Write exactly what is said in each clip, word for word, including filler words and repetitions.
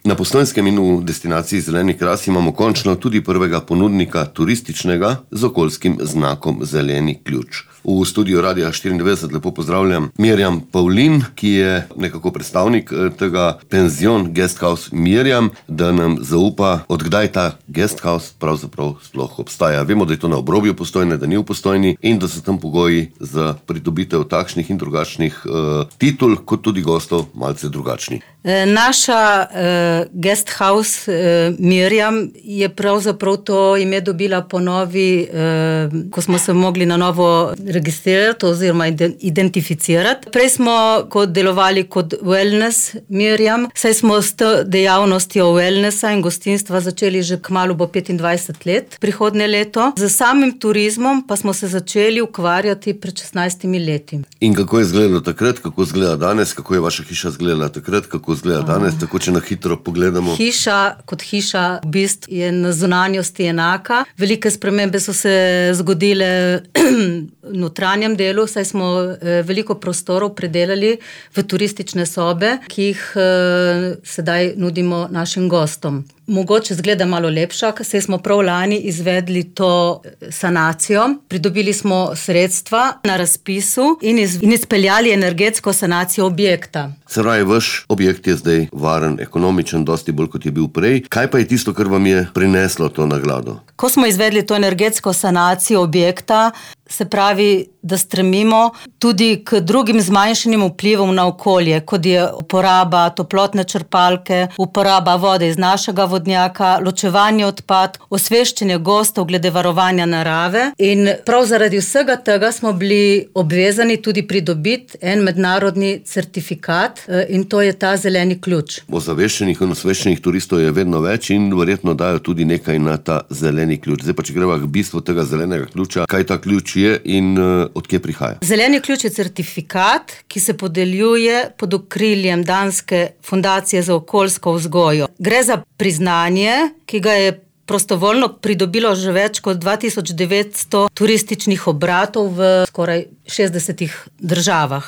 Na Postojnskem in v destinaciji Zeleni kras imamo končno tudi prvega ponudnika turističnega z okoljskim znakom Zeleni ključ. V studiu Radia štiriindevetdeset lepo pozdravljam Mirjam Pavlin, ki je nekako predstavnik tega penzion Guesthouse Mirjam, da nam zaupa, odkdaj ta Guesthouse pravzaprav sploh obstaja. Vemo, da je to na obrobju Postojne, da ni v Postojni in da so tam pogoji za pridobitev takšnih in drugačnih uh, titul, kot tudi gostov malce drugačni. Naša uh, Guesthouse uh, Mirjam je pravzaprav to ime dobila po novi, uh, ko smo se mogli na novo registrirati oziroma identificirati. Prej smo kot delovali kot wellness Mirjam, saj smo s dejavnostjo wellnessa in gostinstva začeli že kmalu bo petindvajset let, prihodnje leto. Z samim turizmom pa smo se začeli ukvarjati pred šestnajstimi leti. In kako je izgledalo takrat, kako izgleda danes, kako je vaša hiša izgledala takrat, kako izgleda danes, tako če na hitro pogledamo? Hiša kot hiša v bistvu je na zunanjosti enaka. Velike spremembe so se zgodile v notranjem delu, saj smo veliko prostorov predelali v turistične sobe, ki jih sedaj nudimo našim gostom. Mogoče zgleda malo lepša, saj smo prav lani izvedli to sanacijo. Pridobili smo sredstva na razpisu in, iz, in izpeljali energetsko sanacijo objekta. Se pravi, vaš objekt je zdaj varen, ekonomičen, dosti bolj kot je bil prej. Kaj pa je tisto, kar vam je prineslo to nagrado? Ko smo izvedli to energetsko sanacijo objekta, se pravi, da stremimo tudi k drugim zmanjšanim vplivom na okolje, kot je uporaba toplotne črpalke, uporaba vode iz našega vodnjaka, ločevanje odpad, osveščanje gostov glede varovanja narave. In prav zaradi vsega tega smo bili obvezani tudi pridobiti en mednarodni certifikat in to je ta Zeleni ključ. Ozaveščenih in osveščenih turistov je vedno več in verjetno dajo tudi nekaj na ta Zeleni ključ. Zdaj pa, če greva k bistvu tega Zelenega ključa, kaj ta ključ je in uh, odkje prihaja? Zeleni ključ je certifikat, ki se podeljuje pod okriljem Danske fundacije za okoljsko vzgojo. Gre za priznanje, ki ga je prostovoljno pridobilo že več kot dva tisoč devetsto turističnih obratov v skoraj šestdesetih državah.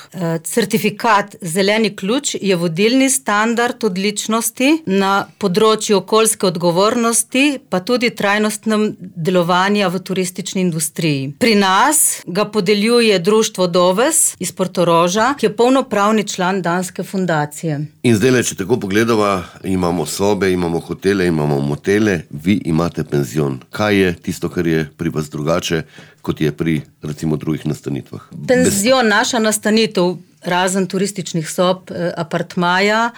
Certifikat Zeleni ključ je vodilni standard odličnosti na področju okoljske odgovornosti, pa tudi trajnostnem delovanju v turistični industriji. Pri nas ga podeljuje društvo Doves iz Portoroža, ki je polnopravni član Danske fundacije. In zdaj, če tako pogledava, imamo sobe, imamo hotele, imamo motele, vi imate penzion. Kaj je tisto, kar je pri vas drugače, kot je pri, recimo, drugih nastanitvah? Penzion, naša nastanitev, razen turističnih sob, apartmaja,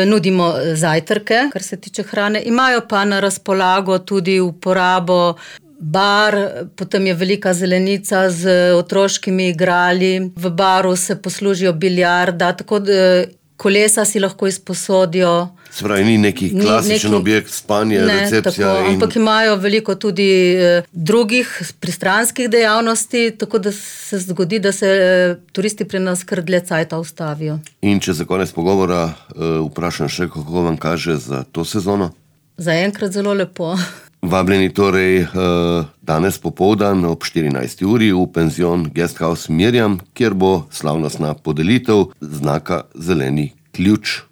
nudimo zajtrke, kar se tiče hrane. Imajo pa na razpolago tudi uporabo bar, potem je velika zelenica z otroškimi igrali. V baru se poslužijo biljarda, tako da kolesa si lahko izposodijo. Se pravi, ni neki klasičen neki, objekt, spanje, ne, recepcija. Tako, in... Ampak imajo veliko tudi eh, drugih pristranskih dejavnosti, tako da se zgodi, da se eh, turisti pri nas kar dlje cajta ustavijo. In če za konec pogovora eh, vprašam še, kako vam kaže za to sezono? Zaenkrat zelo lepo. Vabljeni torej eh, danes popoldan ob štirinajsti uri v penzion Guesthouse Mirjam, kjer bo slavnostna podelitev znaka Zeleni ključ.